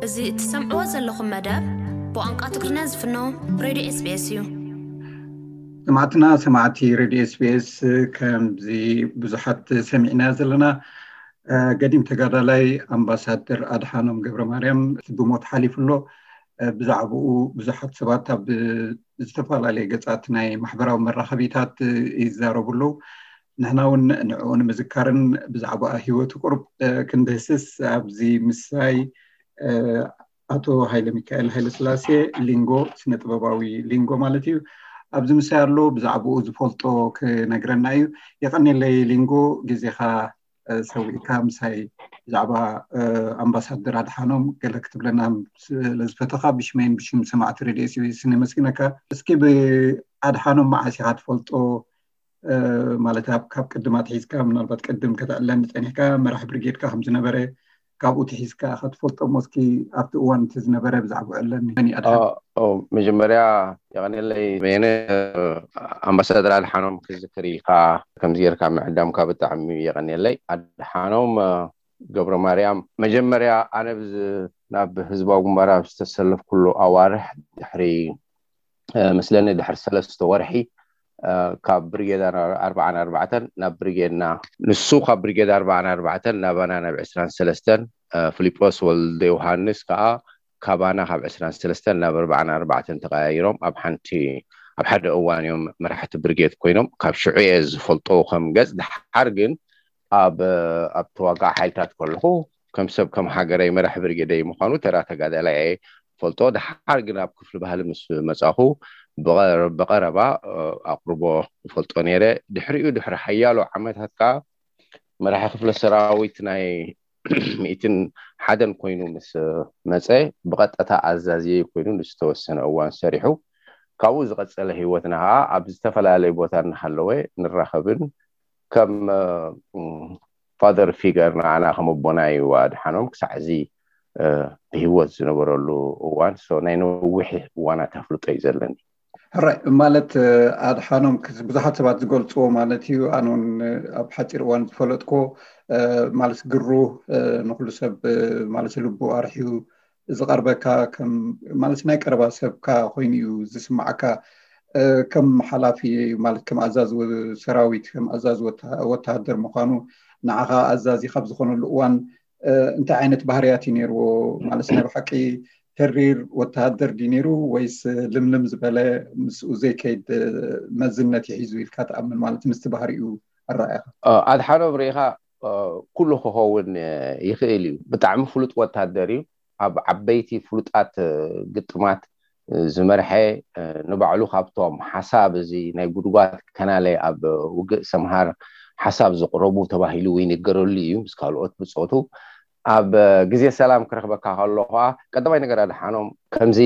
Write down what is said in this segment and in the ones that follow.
እዚ እትሰምዕዎ ዘለኹም መደብ ብቋንቋ ትግርኛ ዝፍኖ ሬድዮ ኤስቢኤስ እዩ። ሰማዕትና ሰማዕቲ ሬድዮ ኤስቢኤስ፣ ከምዚ ብዙሓት ሰሚዕና ዘለና፣ ገዲም ተጋዳላይ ኣምባሳደር ኣድሓኖም ገብረ ማርያም ብሞት ሓሊፉ ኣሎ። ብዛዕባኡ ብዙሓት ሰባት ኣብ ዝተፈላለየ ገጻት ናይ ማሕበራዊ መራኸቢታት ይዛረቡ ኣለዉ። ንሕና እውን ንዕኡ ንምዝካርን ብዛዕባ ህይወቱ ቁሩብ ክንድህስስ ኣብዚ ምሳይ ኣቶ ሃይለ ሚካኤል ሃይለ ስላሴ፣ ሊንጎ፣ ስነ ጥበባዊ ሊንጎ ማለት እዩ፣ ኣብዚ ምሳይ ኣሎ። ብዛዕባኡ ዝፈልጦ ክነግረና እዩ። የቐኔለይ ሊንጎ፣ ግዜኻ ሰዊእካ ምሳይ ብዛዕባ ኣምባሳደር ኣድሓኖም ገለ ክትብለና ስለዝፈተኻ ብሽመይን ብሽም ሰማዕቲ ሬድዮ ኤስቢኤስ ነመስግነካ። እስኪ ብኣድሓኖም መዓስ ኢኻ ትፈልጦ? ማለት ኣብ ካብ ቅድም ኣትሒዝካ ምናልባት ቅድም ከተዕለኒ ጸኒሕካ መራሕ ብርጌድካ ከም ዝነበረ ካብኡ ትሒዝካ ኢኻ ትፈልጦ እሞ እስኪ ኣብቲ እዋን እቲ ዝነበረ ብዛዕባኡ ዕለኒ። መን እዩ ኣድሓኖም? መጀመርያ የቐኔለይ በየነ፣ ኣምባሳደር ኣድሓኖም ክዝክር ኢልካ ከምዚ ጌርካ ምዕዳምካ ብጣዕሚ የቐኔለይ። ኣድሓኖም ገብረ ማርያም መጀመርያ ኣነ ናብ ህዝባዊ ግንባር ኣብ ዝተሰለፍኩሉ ኣዋርሕ ድሕሪ መስለኒ ድሕሪ ሰለስተ ወርሒ ካብ ብርጌድ ኣርባዓን ኣርባዕተን ናብ ብርጌድና፣ ንሱ ካብ ብርጌድ ኣርባዓን ኣርባዕተን ናባና ናብ ዕስራን ሰለስተን፣ ፊሊጶስ ወልደ ዮሃንስ ከዓ ካባና ካብ ዕስራን ሰለስተን ናብ ኣርባዓን ኣርባዕተን ተቐያይሮም ኣብ ሓንቲ ኣብ ሓደ እዋን እዮም መራሕቲ ብርጌድ ኮይኖም። ካብ ሽዑ እየ ዝፈልጦ ከም ገጽ። ድሓር ግን ኣብ ኣብ ተዋጋእ ሓይልታት ከለኹ ከም ሰብ ከም ሃገረይ መራሕ ብርጌደይ ምዃኑ ተራ ተጋዳላይ እየ ፈልጦ። ድሓር ግን ኣብ ክፍሊ ባህሊ ምስ መጻኹ ብቐረባ ኣቕርቦ ፈልጦ ነይረ። ድሕሪኡ ድሕሪ ሓያሎ ዓመታት ከዓ መራሒ ክፍለ ሰራዊት ናይ ሚእትን ሓደን ኮይኑ ምስ መጸ ብቐጥታ ኣዛዝየ ኮይኑ ንዝተወሰነ እዋን ሰሪሑ። ካብኡ ዝቐጸለ ህይወትና ከዓ ኣብ ዝተፈላለየ ቦታ እናሃለወ ንራኸብን ከም ፋደር ፊገር ንዓና ከም ኣቦና እዩ ኣድሓኖም ክሳዕ እዚ ብህይወት ዝነበረሉ እዋን። ናይ ነዊሕ እዋናት ኣፍልጦ እዩ ዘለኒ። ሕራይ ማለት ኣድሓኖም ብዙሓት ሰባት ዝገልፅዎ ማለት እዩ። ኣነውን ኣብ ሓፂር እዋን ዝፈለጥኮ ማለት ግሩ ንኩሉ ሰብ ማለት ልቡ ኣርሕዩ ዝቐርበካ ማለት ናይ ቀረባ ሰብካ ኮይኑ እዩ ዝስማዓካ። ከም ሓላፊ ማለት ከም ኣዛዚ ሰራዊት ከም ኣዛዚ ወተሃደር ምዃኑ ንዓኻ ኣዛዚ ካብ ዝኾነሉ እዋን እንታይ ዓይነት ባህርያት እዩ ነይርዎ? ማለት ናይ ብሓቂ ተሪር ወተሃደር ድዩ ነይሩ ወይስ ልምልም ዝበለ ምስኡ ዘይከይድ መዝነት ይሒዙ ኢልካ ትኣምን? ማለት ምስቲ ባህሪኡ ኣረኣእያኻ። ኣድሓኖም ርኢኻ ኩሉ ክኸውን ይኽእል እዩ። ብጣዕሚ ፍሉጥ ወታደር እዩ። ኣብ ዓበይቲ ፍሉጣት ግጥማት ዝመርሐ፣ ንባዕሉ ካብቶም ሓሳብ እዚ ናይ ጉድጓድ ከናለ ኣብ ውግእ ሰምሃር ሓሳብ ዘቕረቡ ተባሂሉ ይንገረሉ እዩ ምስ ካልኦት ብጾቱ። ኣብ ግዜ ሰላም ክረኽበካ ከሎ ከዓ ቀዳማይ ነገር ኣድሓኖም ከምዚ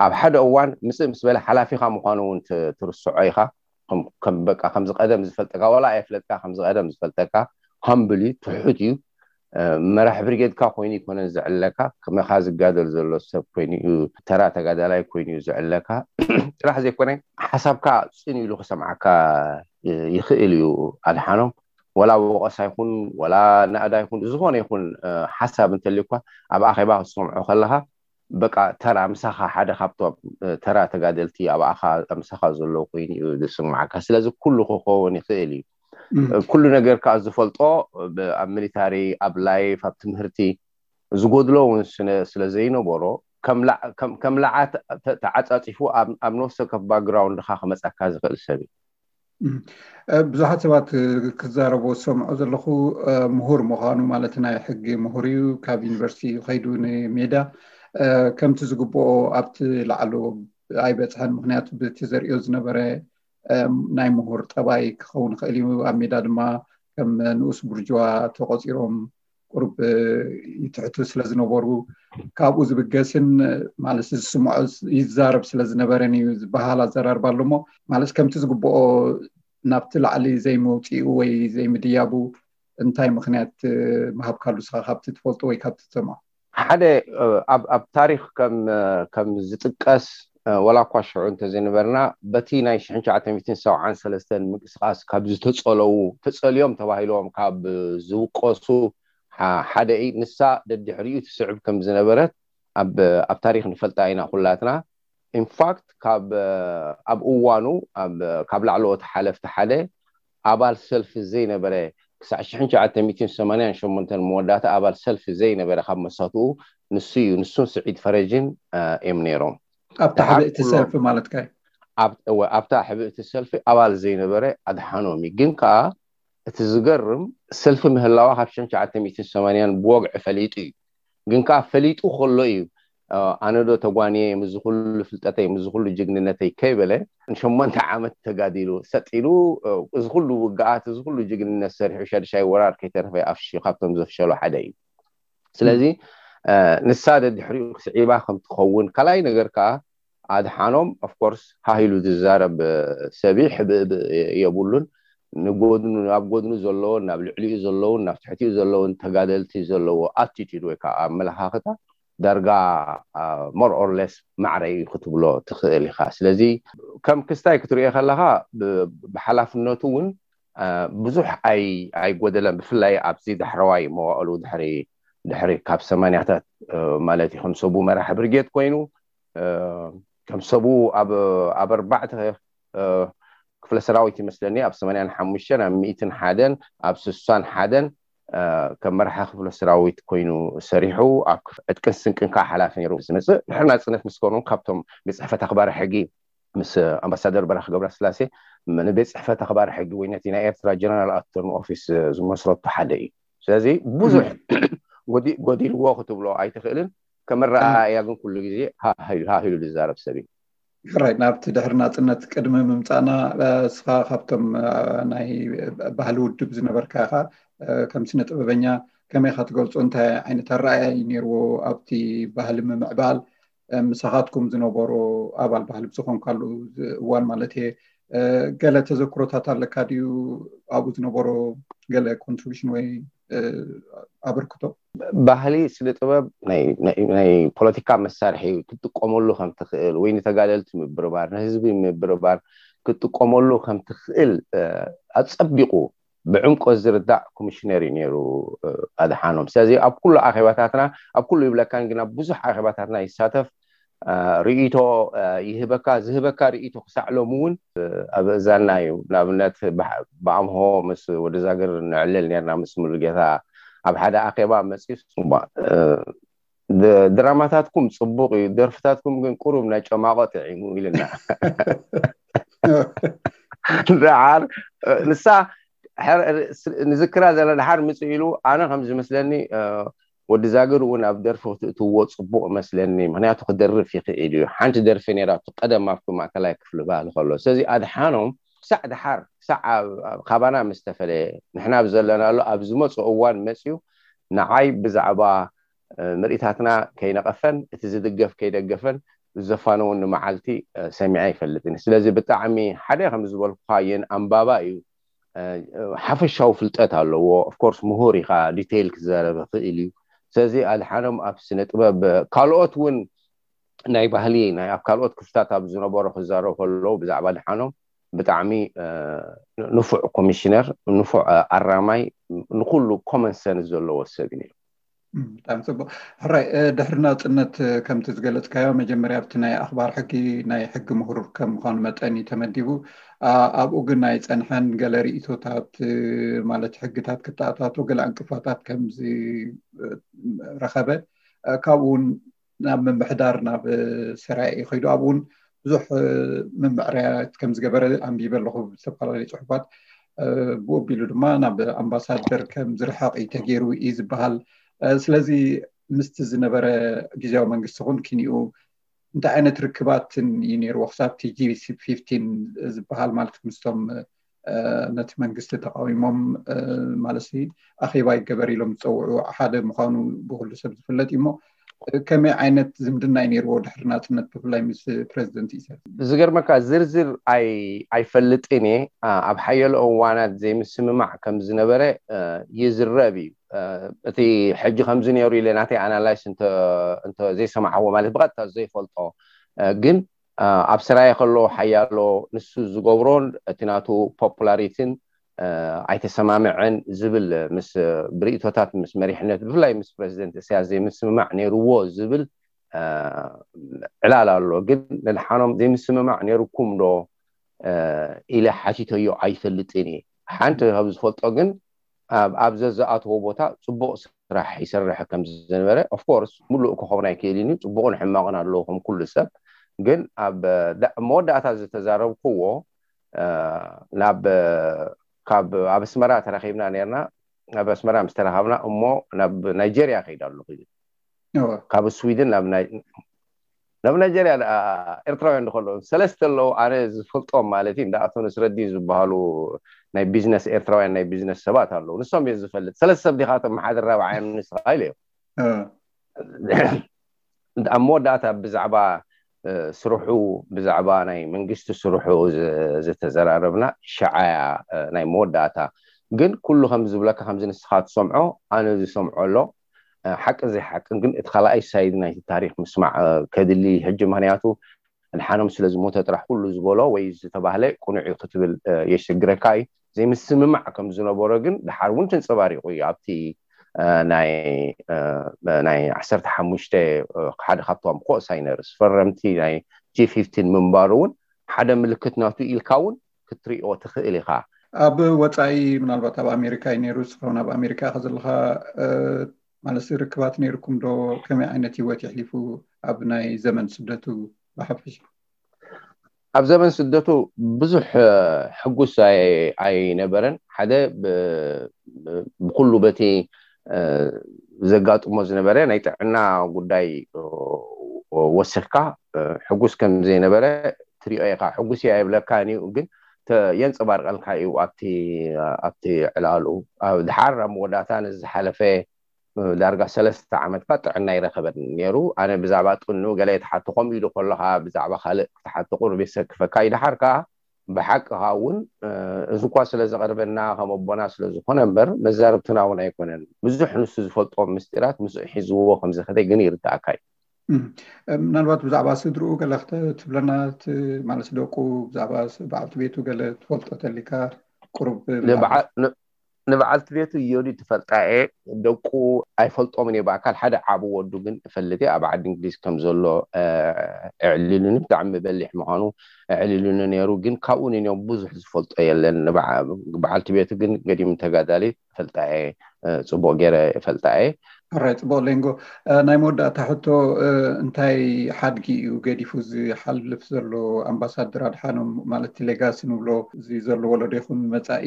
ኣብ ሓደ እዋን ምጽእ ምስ በለ ሓላፊኻ ምዃኑ እውን ትርስዖ ኢኻ። በቃ ከምዚ ቀደም ዝፈልጠካ ዋላ ኣየፍለጥካ ከምዚ ቀደም ዝፈልጠካ፣ ሃምብል እዩ፣ ትሑት እዩ። መራሕ ብርጌድካ ኮይኑ ይኮነን ዝዕለካ፣ ከመኻ ዝጋደል ዘሎ ሰብ ኮይኑ እዩ፣ ተራ ተጋዳላይ ኮይኑ እዩ ዝዕለካ። ጥራሕ ዘይኮነ ሓሳብካ ጽን ኢሉ ክሰምዓካ ይኽእል እዩ። ኣድሓኖም ወላ ወቐሳ ይኹን ወላ ናእዳ ይኹን ዝኾነ ይኹን ሓሳብ እንተልዩኳ ኣብ ኣኼባ ክትሰምዖ ከለኻ በቃ ተራ ምሳኻ ሓደ ካብቶም ተራ ተጋደልቲ ኣብኣኻ ምሳኻ ዘሎ ኮይኑ እዩ ዝስማዓካ። ስለዚ ኩሉ ክኸውን ይኽእል እዩ። ኩሉ ነገር ከዓ ዝፈልጦ ኣብ ሚሊታሪ፣ ኣብ ላይፍ፣ ኣብ ትምህርቲ ዝጎድሎ እውን ስለ ዘይነበሮ ከም ላዓ ተዓፃፂፉ ኣብ ነፍሲ ወከፍ ባክግራውንድካ ክመፀካ ዝኽእል ሰብ እዩ። ብዙሓት ሰባት ክዛረቦ ዝሰምዖ ዘለኹ ምሁር ምዃኑ ማለት ናይ ሕጊ ምሁር እዩ። ካብ ዩኒቨርሲቲ ከይዱ ንሜዳ ከምቲ ዝግብኦ ኣብቲ ላዕሎ ኣይበፅሐን። ምክንያቱ ብቲ ዘርእዮ ዝነበረ ናይ ምሁር ጠባይ ክኸውን ይኽእል እዩ። ኣብ ሜዳ ድማ ከም ንኡስ ቡርጅዋ ተቆፂሮም ቁሩብ ይትሕቱ ስለ ዝነበሩ ካብኡ ዝብገስን ማለት ዝስምዖ ይዛረብ ስለ ዝነበረን እዩ ዝበሃል ኣዘራርባ ኣሎ። እሞ ማለት ከምቲ ዝግብኦ ናብቲ ላዕሊ ዘይመውፅኡ ወይ ዘይምድያቡ እንታይ ምክንያት ምሃብካሉ ንስኻ ካብቲ ትፈልጦ ወይ ካብቲ ትሰምዖ? ሓደ ኣብ ታሪክ ከም ዝጥቀስ ዋላ እኳ ሽዑ እንተዘይነበርና በቲ ናይ ሽሕን ትሽዓተ ሚእትን ሰብዓን ሰለስተን ምንቅስቃስ ካብ ዝተፀለዉ ተፀልዮም ተባሂሎም ካብ ዝውቀሱ ሓደ እዩ። ንሳ ደድሕሪኡ ትስዕብ ከም ዝነበረት ኣብ ኣብ ታሪኽ ንፈልጣ ኢና ኩላትና። ኢንፋክት ካብ ኣብ እዋኑ ካብ ላዕለዎት ሓለፍቲ ሓደ ኣባል ሰልፊ ዘይነበረ፣ ክሳዕ ሽሕን ትሽዓተ ሚእትን ሰማንያን ሸሞንተን መወዳእታ ኣባል ሰልፊ ዘይነበረ ካብ መሳትኡ ንሱ እዩ። ንሱን ስዒድ ፈረጅን እዮም ነይሮም። ኣብታ ሕብእቲ ሰልፊ ማለት ካይ ኣብታ ሕብእቲ ሰልፊ ኣባል ዘይነበረ ኣድሓኖም እዩ። ግን ከዓ እቲ ዝገርም ሰልፊ ምህላዋ ካብ ሽሕን ትሽዓተ ሚእትን ሰማንያን ብወግዒ ፈሊጡ እዩ። ግን ከዓ ፈሊጡ ከሎ እዩ ኣነ ዶ ተጓንየ፣ ምስ ኩሉ ፍልጠተይ፣ ምስ ኩሉ ጅግንነተይ ከይበለ ንሸሞንተ ዓመት ተጋዲሉ ሰጢሉ፣ እዚ ኩሉ ውግኣት፣ እዚ ኩሉ ጅግንነት ሰሪሑ፣ ሻድሻይ ወራር ከይተረፈ ኣፍሽዩ ካብቶም ዘፍሸሉ ሓደ እዩ። ስለዚ ንሳ ደድሕሪኡ ክስዒባ ከም ትኸውን። ካልኣይ ነገር ከዓ ኣድሓኖም ኦፍኮርስ ሃሂሉ ዝዛረብ ሰብ እዩ። ሕብእብእ የብሉን። ንጎድኑ፣ ኣብ ጎድኑ ዘለውን ናብ ልዕሊኡ ዘለውን ናብ ትሕቲኡ ዘለውን ተጋደልቲ ዘለዎ ኣቲቲድ ወይ ከዓ ኣመለኻኽታ ዳርጋ ሞር ኦር ለስ ማዕረ እዩ ክትብሎ ትኽእል ኢኻ። ስለዚ ከም ክስታይ ክትሪኦ ከለኻ ብሓላፍነቱ እውን ብዙሕ ኣይጎደለን። ብፍላይ ኣብዚ ዳሕረዋይ መዋእሉ ድሕሪ ድሕሪ ካብ ሰማንያታት ማለት እዩ ከም ሰቡ መራሒ ብርጌድ ኮይኑ ከም ሰቡ ኣብ ኣርባዕተ ክፍለ ሰራዊት ይመስለኒ፣ ኣብ ሰማንያን ሓሙሽተን ኣብ ሚእትን ሓደን ኣብ ስሳን ሓደን ከም መራሒ ክፍለ ሰራዊት ኮይኑ ሰሪሑ ኣብ ዕጥቅን ስንቅን ከዓ ሓላፊ ነይሩ ዝመፅእ። ድሕሪ ናፅነት ምስ ከኑ ካብቶም ቤት ፅሕፈት ኣኽባሪ ሕጊ ምስ ኣምባሳደር በራኺ ገብረስላሴ ንቤት ፅሕፈት ኣኽባሪ ሕጊ ወይ ነቲ ናይ ኤርትራ ጀነራል ኣተርኒ ኦፊስ ዝመስረቱ ሓደ እዩ። ስለዚ ብዙሕ ጎዲልዎ ክትብሎ ኣይትኽእልን። ከመረኣያ ግን ኩሉ ግዜ ሃሂሉ ዝዛረብ ሰብ እዩ። ሕራይ ናብቲ ድሕሪ ናፅነት ቅድሚ ምምፃእና እስኻ ካብቶም ናይ ባህሊ ውድብ ዝነበርካ ኢኻ። ከም ስነ ጥበበኛ ከመይ ኢኻ ትገልፆ? እንታይ ዓይነት ኣረኣያ እዩ ነይርዎ ኣብቲ ባህሊ ምምዕባል? ምሳኻትኩም ዝነበሮ ኣባል ባህሊ ብዝኾንካሉ እዋን ማለት እየ፣ ገለ ተዘክሮታት ኣለካ ድዩ? ኣብኡ ዝነበሮ ገለ ኮንትሪቢሽን ወይ ኣበርክቶ? ባህሊ ስነ ጥበብ ናይ ፖለቲካ መሳርሒ ክትጥቀመሉ ከም ትኽእል ወይ ንተጋደልቲ ምብርባር፣ ንህዝቢ ምብርባር ክትጥቀመሉ ከም ትኽእል ኣፀቢቑ ብዕምቆት ዝርዳእ ኮሚሽነር እዩ ነይሩ ኣድሓኖም። ስለዚ ኣብ ኩሉ ኣኼባታትና፣ ኣብ ኩሉ ይብለካን ግን ኣብ ብዙሕ ኣኼባታትና ይሳተፍ፣ ርእይቶ ይህበካ። ዝህበካ ርእይቶ ክሳዕ ሎሚ እውን ኣብ እዛና እዩ። ንኣብነት ብኣምሆ ምስ ወዲ ዛግር ንዕልል ነርና፣ ምስ ሙሉጌታ ኣብ ሓደ ኣኼባ መፅዩ ድራማታትኩም ፅቡቅ እዩ፣ ደርፍታትኩም ግን ቁሩብ ናይ ጨማቆ ጥዒሙ ኢልና። ደሓር ንሳ ንዝክራ ዘለ ደሓር ምፅእ ኢሉ ኣነ ከም ዝመስለኒ ወዲ ዛግር እውን ኣብ ደርፊ ክትእትዎ ፅቡቅ መስለኒ፣ ምክንያቱ ክደርፍ ይኽእል እዩ። ሓንቲ ደርፊ ነይራቱ ቀደም ኣብቲ ማእከላይ ክፍሊ ባህሊ ከሎ። ስለዚ ኣድሓኖም ክሳዕ ደሓር ክሳዕ ካባና ምስ ተፈለየ ንሕና ኣብ ዘለናሉ ኣብ ዝመፅኦ እዋን መፅዩ ንዓይ ብዛዕባ ምርኢታትና ከይነቐፈን እቲ ዝድገፍ ከይደገፈን ዘፋነውኒ መዓልቲ ሰሚዐ ኣይፈልጥን። ስለዚ ብጣዕሚ ሓደ ከም ዝበልኩኻ የን ኣንባባ እዩ። ሓፈሻዊ ፍልጠት ኣለዎ። ኦፍኮርስ ምሁር ኢኻ፣ ዲቴይል ክዛረብ ይኽእል እዩ። ስለዚ ኣድሓኖም ኣብ ስነ ጥበብ ካልኦት እውን ናይ ባህሊ ናይ ኣብ ካልኦት ክፍታት ኣብ ዝነበሩ ክዛረቡ ከለዉ ብዛዕባ ኣድሓኖም ብጣዕሚ ንፉዕ ኮሚሽነር፣ ንፉዕ ኣራማይ፣ ንኩሉ ኮመን ሰንስ ዘለዎ ሰብ እዩ ነይሩ። ብጣዕሚ ፅቡቅ። ሕራይ ድሕሪ ናፅነት ከምቲ ዝገለፅካዮ መጀመርያ ኣብቲ ናይ ኣኽባር ሕጊ ናይ ሕጊ ምሁር ከም ምዃኑ መጠን እዩ ተመዲቡ። ኣብኡ ግን ናይ ፀንሐን ገለ ርእይቶታት ማለት ሕግታት ክተኣታቶ ገለ ዕንቅፋታት ከም ዝረኸበ ካብኡ እውን ናብ ምምሕዳር ናብ ሰራየ እዩ ከይዱ። ኣብኡ እውን ብዙሕ ምምዕራያት ከም ዝገበረ ኣንቢበ ኣለኹ ብዝተፈላለዩ ፅሑፋት። ብኡ ኣቢሉ ድማ ናብ ኣምባሳደር ከም ዝርሕቕ እዩ ተገይሩ እዩ ዝበሃል። ስለዚ ምስቲ ዝነበረ ግዜያዊ መንግስቲ ኹን ኪንኡ እንታይ ዓይነት ርክባትን እዩ ነይርዎ ክሳብ ቲ ጂ ፊፍቲን ዝበሃል ማለት ምስቶም ነቲ መንግስቲ ተቃዊሞም ማለት ኣኼባ ይገበር ኢሎም ዝፀውዑ ሓደ ምዃኑ ብኩሉ ሰብ ዝፍለጥ እዩ። እሞ ከመይ ዓይነት ዝምድና እዩ ነይርዎ ድሕሪ ናፅነት ብፍላይ ምስ ፕረዚደንት ኢሳያስ? ዝገርመካ ዝርዝር ኣይፈልጥን እየ። ኣብ ሓየሎ እዋናት ዘይምስምማዕ ከም ዝነበረ ይዝረብ እዩ። እቲ ሕጂ ከምዚ ነይሩ ኢለ ናተይ ኣናላይስ እንተ ዘይሰማዕዎ ማለት ብቐጥታ ዘይፈልጦ ግን ኣብ ሰራየ ከሎ ሓያሎ ንሱ ዝገብሮን እቲ ናቱ ፖፑላሪቲን ኣይተሰማምዐን ዝብል ምስ ብርእቶታት ምስ መሪሕነት ብፍላይ ምስ ፕረዚደንት እስያስ ዘይምስምማዕ ነይርዎ ዝብል ዕላል ኣሎ። ግን ንድሓኖም ዘይምስምማዕ ነይርኩም ዶ ኢለ ሓቲተዮ ኣይፈልጥን እየ። ሓንቲ ካብ ዝፈልጦ ግን ኣብ ዘዝኣተዎ ቦታ ፅቡቕ ስራሕ ይሰርሕ ከም ዝነበረ፣ ኦፍኮርስ፣ ሙሉእ ክኸውን ኣይክእልን እዩ። ፅቡቕን ሕማቕን ኣለዎ ከም ኩሉ ሰብ። ግን ኣብ መወዳእታ ዝተዛረብክዎ ናብ ካብ ኣብ ኣስመራ ተራኺብና ነርና። ኣብ ኣስመራ ምስ ተራኸብና እሞ ናብ ናይጀርያ ከይዳ ኣለኹ። ካብ ስዊድን ናብ ናይ ናብ ናይጀርያ ኤርትራውያን ዝከሎ ሰለስተ ኣለዉ። ኣነ ዝፈልጦም ማለት እዩ እንዳኣቶ ንስረዲ ዝበሃሉ ናይ ቢዝነስ ኤርትራውያን ናይ ቢዝነስ ሰባት ኣለዉ። ንሶም እየ ዝፈልጥ። ሰለስተ ሰብ ዲኻቶም ሓደ ራብዓዮም ንስኻ ኢለ እዮም። ኣብ መወዳእታ ብዛዕባ ስርሑ፣ ብዛዕባ ናይ መንግስቲ ስርሑ ዝተዘራረብና ሸዓያ ናይ መወዳእታ። ግን ኩሉ ከም ዝብለካ ከምዚ ንስኻ ትሰምዖ ኣነ ዝሰምዖ ኣሎ። ሓቅን ዘይሓቅን ግን እቲ ካልኣይ ሳይድ ናይቲ ታሪክ ምስማዕ ከድሊ ሕጂ። ምክንያቱ ኣድሓኖም ስለ ዝሞተ ጥራሕ ኩሉ ዝበሎ ወይ ዝተባህለ ቅኑዕ እዩ ክትብል የሸግረካ እዩ። ዘይምስምማዕ ከም ዝነበሮ ግን ድሓር እውን ተንፀባሪቑ እዩ። ኣብቲ ናይ ናይ ዓሰርተ ሓሙሽተ ሓደ ካብቶም ኮሳይነርስ ፈረምቲ ናይ ጂ ፊፍቲን ምንባሩ እውን ሓደ ምልክት ናቱ ኢልካ እውን ክትሪኦ ትኽእል ኢኻ። ኣብ ወፃኢ ምናልባት ኣብ ኣሜሪካ እዩ ነይሩ። ንስኻ እውን ኣብ ኣሜሪካ ኢኻ ዘለኻ። ማለት ርክባት ነይርኩም ዶ? ከመይ ዓይነት ህይወት የሕሊፉ ኣብ ናይ ዘመን ስደቱ ብሓፈሻ? ኣብ ዘመን ስደቱ ብዙሕ ሕጉስ ኣይነበረን። ሓደ ብኩሉ በቲ ዘጋጥሞ ዝነበረ ናይ ጥዕና ጉዳይ ወሲኽካ ሕጉስ ከም ዘይነበረ ትሪኦ ኢኻ። ሕጉስ እየ ኣይብለካን እዩ፣ ግን የንፀባርቀልካ እዩ ኣብቲ ኣብቲ ዕላሉ። ድሓር ኣብ መወዳእታ ነዚ ዝሓለፈ ዳርጋ ሰለስተ ዓመት ካ ጥዕና ይረኸበን ነይሩ። ኣነ ብዛዕባ ጥኑ ገለ የተሓቶ ከምኡ ኢሉ ከለካ ብዛዕባ ካልእ ክትሓቶ ቁሩብ የሰክፈካ እዩ። ድሓር ከዓ ብሓቂ ከዓ እውን እዚ እኳ ስለ ዘቐርበና ከም ኣቦና ስለ ዝኾነ እምበር መዛርብትና እውን ኣይኮነን። ብዙሕ ንሱ ዝፈልጦ ምስጢራት ምስኡ ሒዝዎ ከም ዝኸደ ግን ይርዳእካ እዩ። ምናልባት ብዛዕባ ስድርኡ ገለ ክትብለና ማለት ደቁ ብዛዕባ በዓልቲ ቤቱ ገለ ትፈልጦ ተሊካ ቁሩብ ንበዓልቲ ቤቱ ዮዲ ትፈልጣ እየ። ደቁ ኣይፈልጦምን እየ ብኣካል። ሓደ ዓብ ወዱ ግን እፈልጥ እየ። ኣብ ዓዲ እንግሊዝ ከም ዘሎ ኣዕሊሉኒ፣ ብጣዕሚ በሊሕ ምዃኑ ኣዕሊሉኒ ነይሩ። ግን ካብኡ ንንዮም ብዙሕ ዝፈልጦ የለን። በዓልቲ ቤቱ ግን ገዲም ተጋዳሊት እፈልጣ እየ። ፅቡቕ ገይረ እፈልጣ እየ። ሕራይ፣ ፅቡቕ ሌንጎ። ናይ መወዳእታ ሕቶ፣ እንታይ ሓድጊ እዩ ገዲፉ ዝሓልፍ ዘሎ ኣምባሳደር ኣድሓኖም? ማለት እቲ ሌጋሲ ንብሎ እዚ ዘሎ ወለዶ ይኹን መፃኢ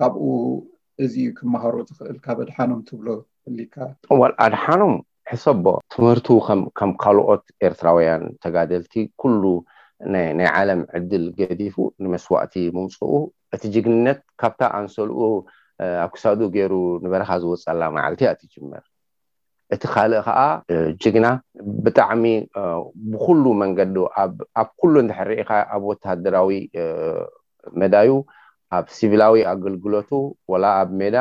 ካብኡ እዚ እዩ ክመሃሮ ዝኽእል ካብ ኣድሓኖም ትብሎ ህሊካ? ዋል ኣድሓኖም ሕሰቦ ትምህርቱ ከም ካልኦት ኤርትራውያን ተጋደልቲ ኩሉ ናይ ዓለም ዕድል ገዲፉ ንመስዋእቲ ምውፅኡ እቲ ጅግንነት ካብታ ኣንሰልኡ ኣብ ክሳዱ ገይሩ ንበረኻ ዝወፀላ መዓልቲ እያ ትጅመር። እቲ ካልእ ከዓ ጅግና ብጣዕሚ ብኩሉ መንገዱ ኣብ ኩሉ እንድሕር ርኢኻ ኣብ ወታደራዊ መዳዩ ኣብ ሲቪላዊ ኣገልግሎቱ ወላ ኣብ ሜዳ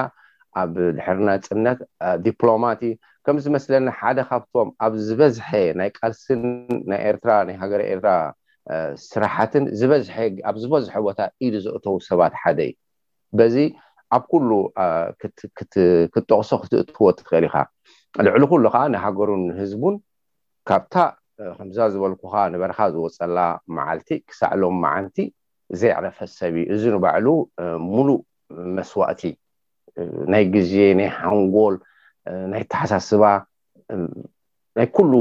ኣብ ድሕሪ ናፅነት ዲፕሎማት እዩ። ከም ዝመስለኒ ሓደ ካብቶም ኣብ ዝበዝሐ ናይ ቃልስን ናይ ኤርትራ ናይ ሃገረ ኤርትራ ስራሓትን ዝበዝሐ ኣብ ዝበዝሐ ቦታ ኢዱ ዘእተው ሰባት ሓደ እዩ። በዚ ኣብ ኩሉ ክትጠቕሶ ክትእትዎ ትኽእል ኢኻ። ልዕሊ ኩሉ ከዓ ንሃገሩን ንህዝቡን ካብታ ከምዛ ዝበልኩኻ ንበረኻ ዝወፀላ መዓልቲ ክሳዕ ሎም መዓንቲ ዘይዕረፈ ሰብ እዩ። እዚ ንባዕሉ ሙሉእ መስዋእቲ ናይ ግዜ ናይ ሓንጎል ናይ ተሓሳስባ ናይ ኩሉ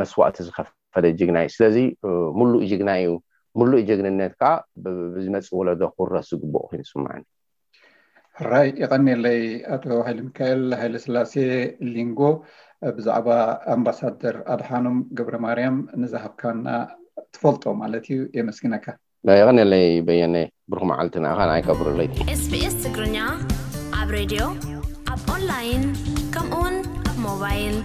መስዋእቲ ዝኸፈለ ጅግና እዩ። ስለዚ ሙሉእ ጅግና እዩ። ሙሉእ ጅግንነት ከዓ ብዝመፅእ ወለዶ ክውረስ ዝግብኦ ኮይኑ ይስምዓኒ። ሕራይ የቐንየለይ ኣቶ ሃይለ ሚካኤል ሃይለ ስላሴ ሊንጎ ብዛዕባ ኣምባሳደር ኣድሓኖም ገብረ ማርያም ንዝሃብካና ትፈልጦ ማለት እዩ የመስግነካ። የቐንየለይ በየነ። ብሩኽ መዓልቲ ንኣኻ ንዓይ ከብርለይ። SBS ትግርኛ ኣብ ሬድዮ ኣብ ኦንላይን ከምኡውን ኣብ ሞባይል